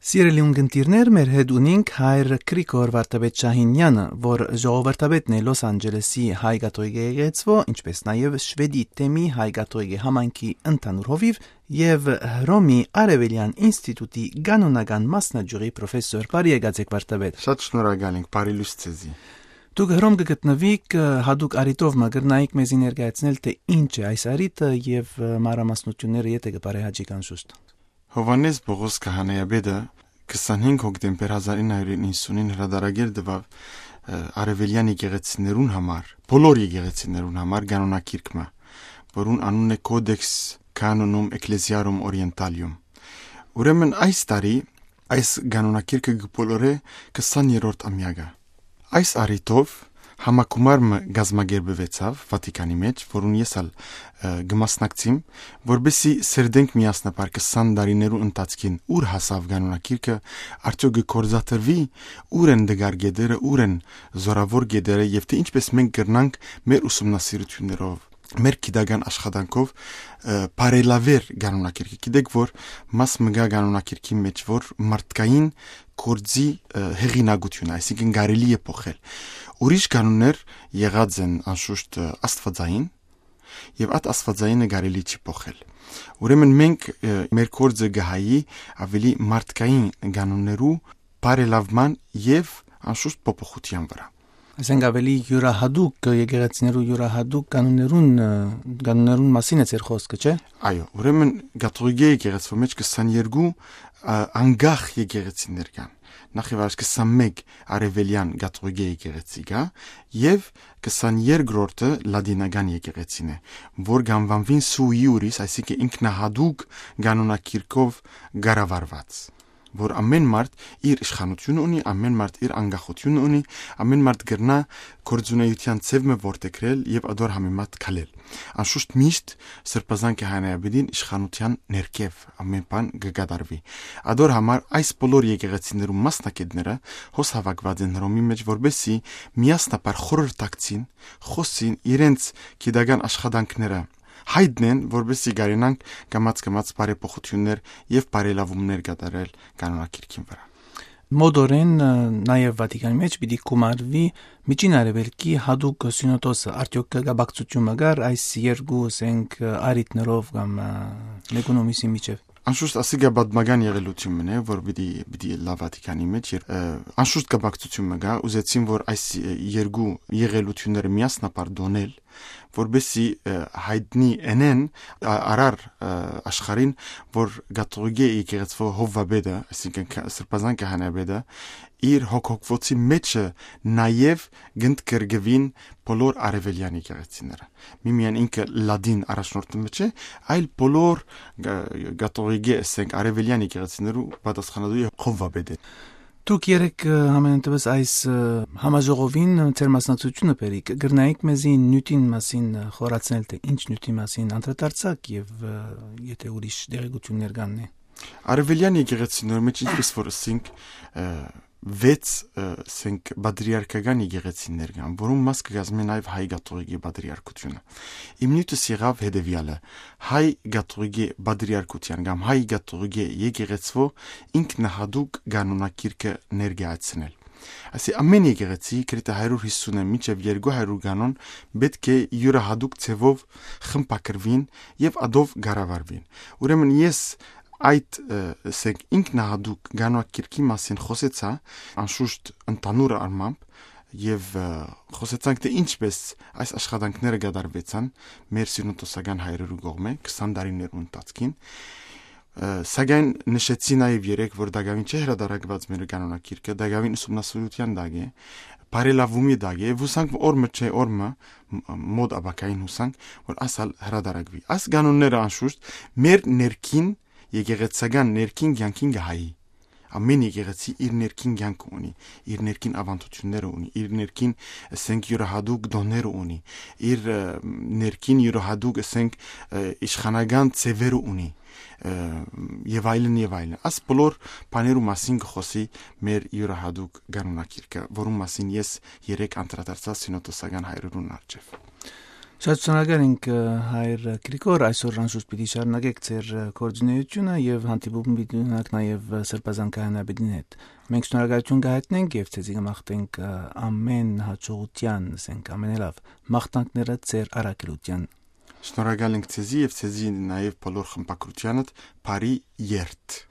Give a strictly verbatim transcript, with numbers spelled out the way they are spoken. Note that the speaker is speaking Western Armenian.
Սիրելի ունգընտիրներ, մեր հետ ունինք հայր Գրիգոր Վարդապետ Շահինեանը, որ ժողովրդապետն է Լոս Անջելեսի հայ կաթողիկէ եկեղեցւոյ, ինչպես նաև Շուեդի թեմի հայ կաթողիկէ համայնքի ընդհանուր հովիվ եւ Հռոմի Արեւելեան ինստիտուտի կանոնական մասնաճյուղի պրոֆեսոր։ Բարի եկած եք, Վարդապետ։ Շատ շնորհակալ ենք, բարի լույս ձեզի։ Դուք Հռոմ կը գտնուիք, ը, յատուկ առիթով մը կրնայիք մեզի ներկայացնել, թէ ինչ է այս առիթը եւ, ը, մանրամասնութիւնները եթէ կը բարեհաճիք անշուշտ։ Յովհաննէս Պողոս Քահանայապետը քսանհինգ հոկտեմբեր հազար ինը հարիւր իննսունին հրադարագիր տուաւ, ը, արեւելեան եկեղեցիներուն համար, բոլոր եկեղեցիներուն համար կանոնագիրք մը, որուն անունն է Codex Canonum Ecclesiarum Orientalium։ Ուրեմն այս տարի այս կանոնագիրքը կը բոլորէ քսաներորդ ամեակը։ Այս առիթով համագումար մը կազմակերպուեցաւ Վատիկանի մէջ, որուն ես ալ, ը, կը մասնակցիմ, որպեսզի սերտենք միասնաբար քսան տարիներու ընթացքին ուր հասաւ կանոնագիրքը, արդեօք կը գործադրուի, ուր են դգար կետերը, ուր են զորաւոր կետերը եւ թէ ինչպես մենք կրնանք մեր ուսումնասիրութիւններով, մեր գիտական աշխատանքով, ը, բարելաւել կանոնագիրքը։ Գիտեք, որ մաս մը կայ կանոնագիրքի մէջ, որ մարդկային գործի, ը, հեղինակություն, այսինքն կարելի է փոխել։ Ուրիշ կանոններ եղած են անշուշտ, ը, աստվածային, եւ այդ աստվածայինը կարելի չի փոխել։ Ուրեմն մենք, ը, մեր գործը կը հայի ավելի մարդկային կանոններու բարելաւման եւ անշուշտ փոփոխութեան վրայ։ Այսինքն ավելի յուրահատուկ, եկեղեցիներու յուրահատուկ կանոններուն, ը, կանոններուն մասին է ձեր խոսքը, չէ՞։ Այո, ուրեմն կաթողիկէ եկեղեցւոյ մէջ քսաներկու, ը, անկախ եկեղեցիներ կան։ Նախ եւ առաջ քսանմէկ արեւելեան կաթողիկէ եկեղեցի կայ եւ քսաներկրորդը լատինական եկեղեցին է, որ կ'անուանուին sui iuris, այսինքն ինքնահատուկ կանոնագիրքով կառավարուած, որ ամէն մարդ իր իշխանութիւնը ունի, ամէն մարդ իր անկախութիւնը ունի, ամէն մարդ կրնայ գործունեութեան ձեւ մը որդեգրել եւ ադոր համեմատ քալել։ Անշուշտ միշտ Սրբազան Քահանայապետին իշխանութեան ներքեւ ամէն բան կը կատարուի։ Ադոր համար այս բոլոր եկեղեցիներու մասնագետները հոս հաւաքուած են Հռոմի մէջ, որպեսզի միասնաբար խորհրդակցին, խօսին, իրենց գիտական աշխատանքները յայտնեն, որպեսզի կարենանք կամաց-կամաց բարեփոխութիւններ եւ բարելաւումներ կատարել կանոնագիրքին վրայ։ Մօտորեն, ը, նաեւ Վատիկանի մէջ պիտի գումարուի Միջին Արեւելքի յատուկ սինոդոսը։ Արդեօք կապակցութիւն մը կար այս երկու, ասենք, առիթներով կամ, ը, մէկուն ու մյուսին միջեւ։ Անշուշտ, ասիկա պատմական եղելութիւն մը է, որ պիտի, պիտի ըլլայ Վատիկանի մէջ, ը, անշուշտ կապակցութիւն մը կայ, ուզեցին, որ այս, ը, երկու եղելութիւնները միասնաբար տոնել, որպեսզի, ը, յայտնի ընեն, ա-, արար, ը, աշխարհին, որ կաթողիկէ եկեղեցւոյ հովուապետը, այսինքն Ք-, Սրբազան Քահանայապետը, իր հոգ-, հոգվոցի մէջը նաեւ կ'ընդգրկուին բոլոր արեւելեան եկեղեցիները։ Միմիան ինքը լատին առաջնորդը մը չէ, այլ բոլոր գ-, կաթողիկէ, ասենք, արեւելեան եկեղեցիներու պատասխանատու հովուապետ է։ Դուք երեկ, ը, համենայն դեպս այս, ը, համաժողովին, ը, ձեր մասնակցութիւնը բերիք, կրնայիք մեզի նիւթին մասին, ը, խորացնել, թէ ինչ նիւթի մասին անդրադարձաք եւ, ը, եթէ ուրիշ տեղեկութիւններ կան, նե։ Արեւելեան եկեղեցիներու մէջ, ինչպես որ ըսինք, ը, վեց, ը, ասենք, պատրիարքական եկեղեցիներ կան, որուն մաս կը կազմէ նաեւ հայ կաթողիկի պատրիարքությունը։ Իմ նիւթս եղաւ հետեւեալը. հայ կաթողիկի պատրիարքութեան կամ հայ կաթողիկի եկեղեցւոյ ինքնահատուկ կանոնագիրքը ներկայացնել։ Այսի, ամէն եկեղեցի, գրեթէ հարիւր յիսուն մինչեւ երկու հարիւր կանոն, պէտք է իւրահատուկ ձեւով խմբագրուին եւ ադով կառավարուին։ Ուրեմն ես այդ, ը, ասենք, ինքնահատուկ կանոնագիրքի մասին խօսեցայ, անշուշտ, ընդհանուր առմամբ, եւ, ը, խօսեցանք, թէ ինչպես այս աշխատանքները կատարուեցան մեր սինոդոսական հայրերու կողմէ քսան տարիներու ընթացքին։ Ը, սակայն նշեցի նաեւ երեկ, որ տակաւին չէ հրադարակուած մեր կանոնագիրքը, տակաւին ուսումնասիրութեան տակ է, բարելաւումի տակ է, եւ յուսանք, որ օր մը չէ, օր մը, մ-, մօտ ապագային յուսանք, որ ասալ հրադարակուի։ Այս կանոնները, անշուշտ, մեր ներքին, եկեղեցական ներքին կեանքին կը հայի։ Ամէն եկեղեցի իր ներքին կեանքը ունի, իր ներքին աւանդութիւնները ունի, իր ներքին, ասենք, իւրահատուկ տոները ունի, իր, ը, ներքին իւրահատուկ, ասենք, ը, իշխանական ձեւերը ունի, ը, եւ այլն, եւ այլն։ Աս բոլոր բաներու մասին կը խօսի մեր իւրահատուկ կանոնագիրքը, որուն մասին ես երեկ անդրադարձայ սինոդոսական հայրերուն առջեւ։ Շատ շնորհակալ ենք, ը, հայր Գրիգոր, այսօր անշուշտ պիտի շարունակեք ձեր, ը, գործունեությունը եւ հանդիպում պիտի ունենաք նաեւ, ը, Սրբազան քահանայապետին հետ։ Մենք շնորհակալություն կհայտնենք եւ ձեզի կմաղթենք, ը, ամեն հաջողության, ասենք, ամենալավ մաղթանքները ձեր առաքելության։ Շնորհակալ ենք ձեզի եւ ձեզի նաեւ բոլոր խմբակրությանդ բարի երթ։